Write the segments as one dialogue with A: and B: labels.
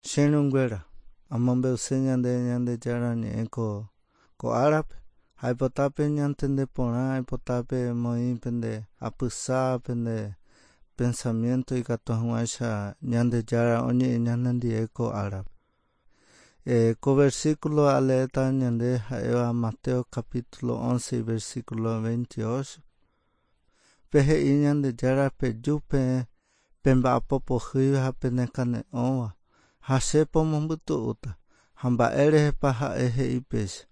A: Che irũnguéra, amombe'use ñande Ñandejára Ñe'ẽ ko ko árape, ha aipota peñantende porã, aipota pemoĩ pende apysa, pende pensamiento ikatu hag̃uáicha Ñandejára oñe'ẽ ñanendie ko árape. Ko versículo aleéta ñande ha'éva Mateo capítulo 11 versículo 28. Pe he'i Ñandejára peju peẽ pemba'apo pohýiva ha penekane'õva, ha che pomombytu'úta. Ha mba'e rehepa ha'e he'i péicha?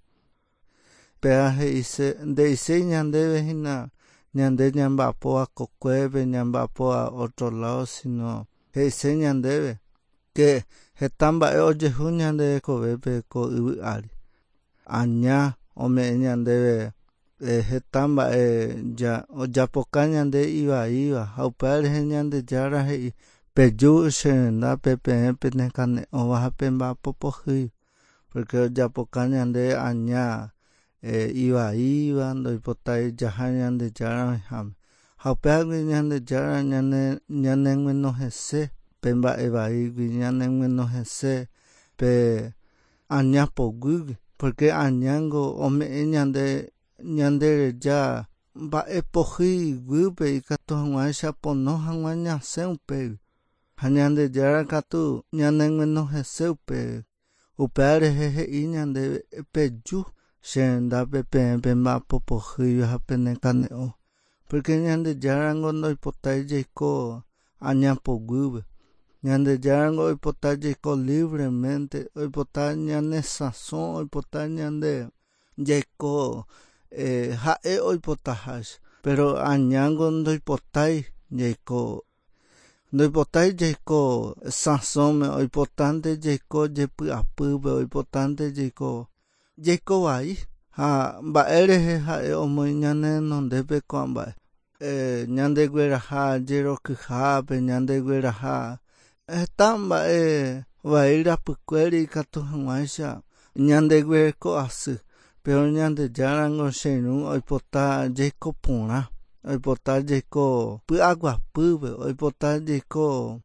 A: Péva he'ise, nde'iséi ñandéve hína ñande ñamba'apóva kokuépe, ñamba'apóva otro lado, sino he'ise ñandéve ke heta mba'e ojehu ñande rekovépe ko yvy ári. Aña ome'ẽ ñandéve heta mba'e ojapoka ñande ivaíva ha upéva rehe Ñandejára he'i, Peju che rendápe peẽ penekane'õva ha pemba'apo pohýi, pórke ojapoka ñande aña ivaíva ndoipotái jaha Ñandejára oĩháme. Ha upévagui Ñandejára ñaneguenohẽse pe mba'e vaígui, ñaneguenohẽse pe Aña poguýgui, pórke añángo ome'ẽ ñande ñandereja mba'e pohýi guýpe ikatu hag̃uáicha pono hag̃ua ñasẽ upégui. Ha Ñandejára katu ñaneguenohẽse upégui. Upéva rehe he'i ñandéve, Peju che rendápe peẽ pemba'apo pohýiva ha penekane'õ, pórke Ñandejárango ndoipotái jaiko aña poguýpe. Ñandejárango oipota jaiko libremente, oipota ñanesãso, oipota ñande jaiko ha'e oipotaháicha. Péro añángo ndoipotái jaiko, ndoipotái jaiko sãsóme, oipotánte jaiko jepy'apýpe, oipotánte jaiko, jaiko vai. Ha mba'e rehe ha'e omoĩ ñane renondépe ko'ã mba'e. Ñandegueraha jerokyhápe, ñandegueraha heta mba'e vai rapykuéri ikatu hag̃uáicha ñandeguereko asy. Péro Ñandejárango che irũ oipota jaiko porã, oipota jaiko py'aguapýpe, oipota jaiko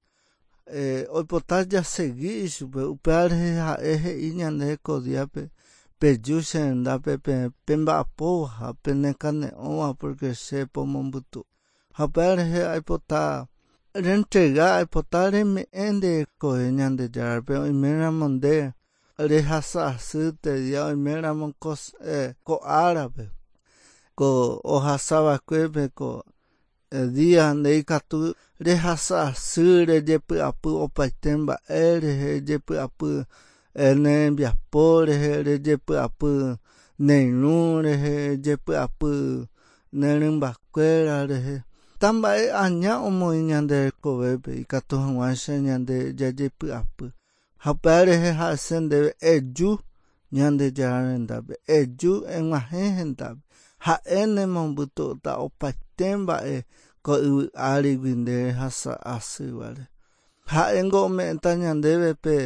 A: oipota jasegi ichupe, upéva rehe ha'e he'i ñande ko díape, Peju che rendápe peẽ pemba'apóva ha penekane'õva pórke che pomombytu. Ha upéva rehe aipota rentrega, aipota reme'ẽ nde rekove Ñandejárape oiméramo nde rehasa asy térã oiméramo ko árape, ko ohasa va'ekuépe ko Día nde ikatu rehasa asy rejepy'apy opaite mba'e rehe, rejepy'apy ne rembiapo rehe, rejepy'apy ne irũ rehe, rejepy'apy ne rymbakuéra rehe. Heta mba'e aña omoĩ ñande rekovépe ikatu hag̃uáicha ñande jajepy'apy. Ha upéva rehe ha'ese ndéve eju Ñandejára rendápe, eju eg̃uahẽ hendápe, ha'e nemombytu'úta opaite mba'e ko yvy árigui nde rehasa asývare. Ha'éngo ome'ẽta ñandéve pe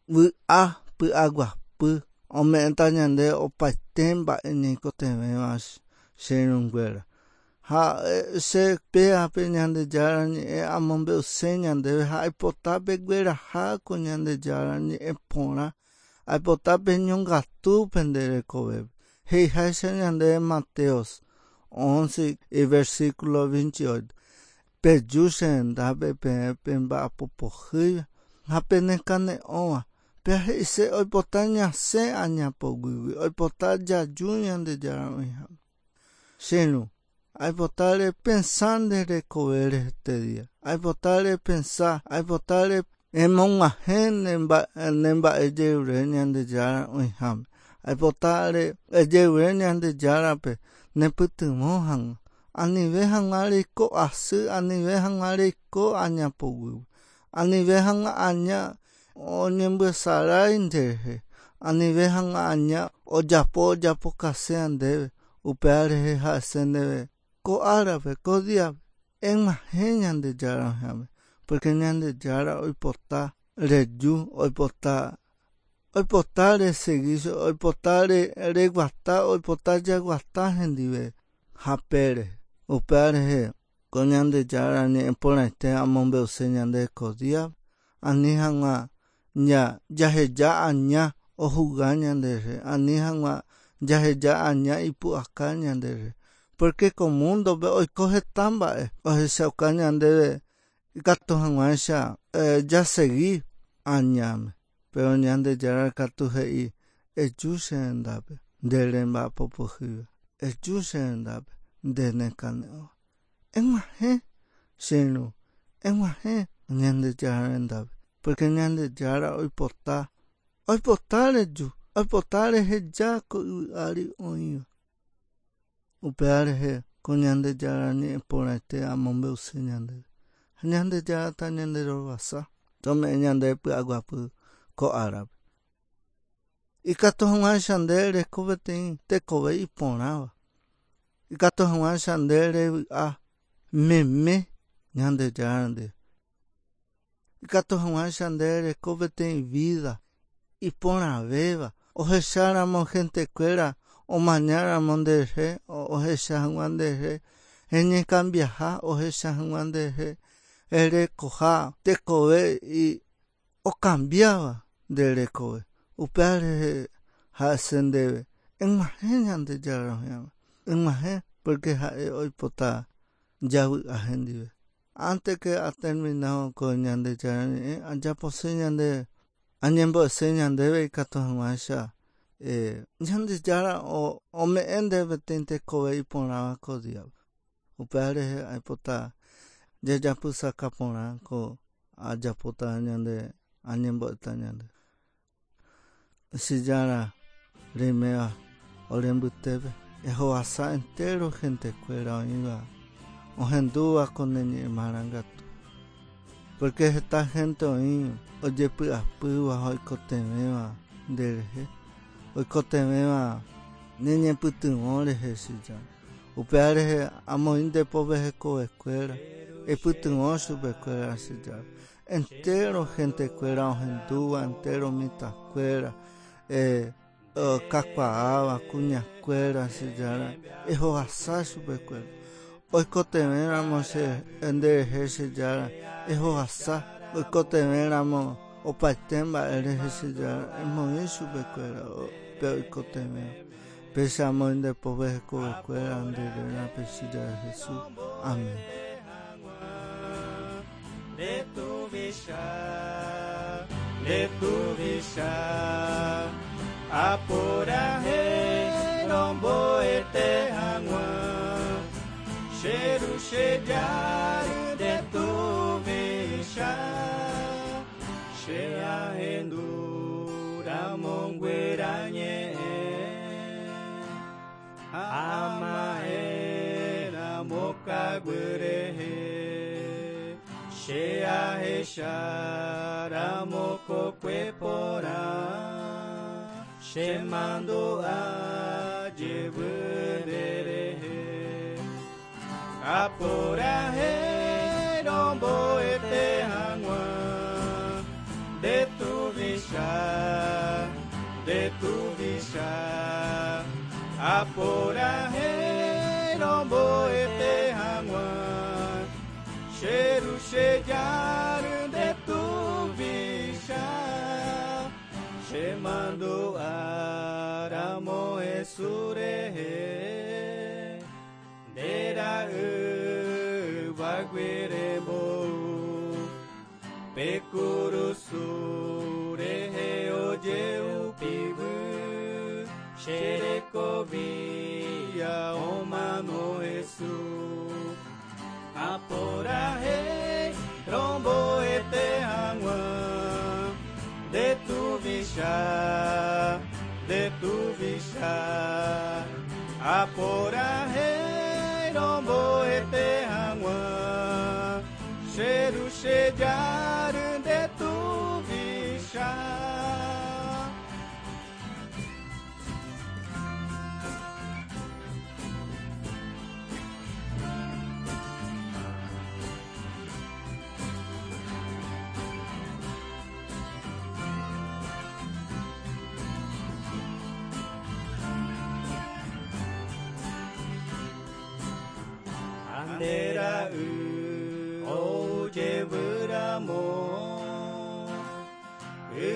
A: vy'a py'aguapy, ome'ẽta ñandéve opaite mba'e ñaikotevẽva che irũnguéra. Ha che pévape Ñandejára Ñe'ẽ amombe'use ñandéve ha aipota pegueraha ko Ñandejára Ñe'ẽ porã, aipota peñongatu pende rekovépe. He'iháicha ñandéve Mateo 11 iversículo 28, Peju che rendápe peẽ pemba'apo pohýiva ha penekane'õva, Péva he'ise oipota ñasẽ aña poguýgui, oipota jaju Ñandejára oĩháme. Che irũ, aipota repensa nde rekovére hete día. Aipota repensa, aipota remog̃uahẽ ne mba'e jerure Ñandejára oĩháme. Aipota rejerure Ñandejárape nepytyvõ hag̃ua, anive hag̃ua reiko asy, anive hag̃ua reiko aña poguýpe, anive hag̃ua aña oñembyesarái nderehe, anive hag̃ua aña ojapo ojapokasea ndéve, upéva rehe ha'ese ndéve ko árape, ko díape, eg̃uahẽ Ñandejára oĩháme, pórke Ñandejára oipota reju, oipota oipota resegi, oipota reguata, oipota jaguata hendive hapére, upéva rehe Ko Ñandejára ñe'ẽ porãite amombe'use ñande ko día, ani hag̃ua ña jaheja aña ohuga ñanderehe, ani hag̃ua jaheja aña ipu'aka ñanderehe. Porque ko múndope oiko heta mba'e ohechauka ñandéve ikatu hag̃uáicha jasegi añáme. Péro Ñandejára katu he'i, Eju che rendápe, nde remba'apo pohýiva, eju che rendápe, nde nekane'õva. Eg̃uahẽ, che irũ, eg̃uahẽ Ñandejára rendápe, pórke Ñandejára oipota, oipota reju, oipota reheja ko yvy ári oĩva. Upéva rehe ko Ñandejára ñe'ẽ porãite amombe'use ñandéve. Ha Ñandejára tañanderovasa, tome'ẽ ñandéve py'aguapy ko árape. Ikatu hag̃uáicha nde reko peteĩ tekove iporãva. Ikatu hag̃uáicha nde revy'a meme Ñandejára ndive. Ikatu hag̃uáicha nde reko peteĩ vida iporãvéva ohecháramo hentekuéra omañáramo nderehe ohecha hag̃ua nderehe reñekambiaha ohecha hag̃ua nderehe rerekoha tekove okambiáva nde rekove. Upéva rehe ha'ese ndéve, Eg̃uahẽ Ñandejára oĩháme, eg̃uahẽ pórke ha'e oipota javy'a hendive. Ánte ke aterminávo ko Ñandejára Ñe'ẽ, ajapose ñande, añembo'ese ñandéve ikatu hag̃uáicha Ñandejára ome'ẽ ndéve peteĩ tekove iporãva ko díape. Upéva rehe aipota jajapysaka porã ko ajapóta ñande añembo'éta ñande. Che Jára reiméva ore mbytépe, ehovasa entéro hentekuéra oĩva ohendúva ko ne ñe'ẽ marangatu. Pórke heta hénte oĩ ojepy'apýva ha oikotevẽva nderehe, oikotevẽva ne ñepytyvõ rehe, che Jára. Upéva rehe amoĩ nde pópe hekovekuéra, eipytyvõ chupekuéra, che Jára. Entéro hentekuéra ohendúva, entéro mitãkuéra, kakuaáva, kuñakuéra, che Jára, ehovasa chupekuéra. Oikotevẽramo che nderehe, che Jára, ehovasa. Oikotevẽramo opaite mba'e rehe, che Jára, emoĩ chupekuéra pe oikotevẽva. Péicha amoĩ nde pópe hekovekuéra nde rérape, che Jára Jesús. Amén.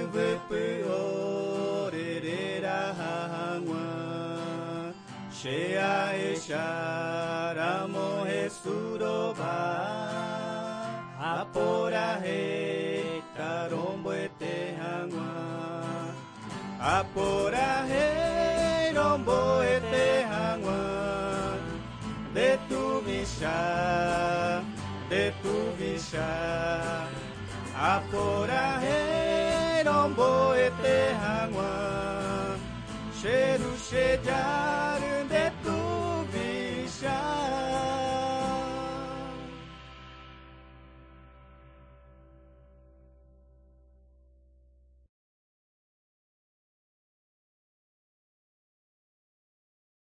A: Yvypy ore reraha hag̃ua Che ahecháramo Jesús rova Aporahéita romboete hag̃ua Aporahéi romboete hag̃ua Nde tuvicha, nde tuvicha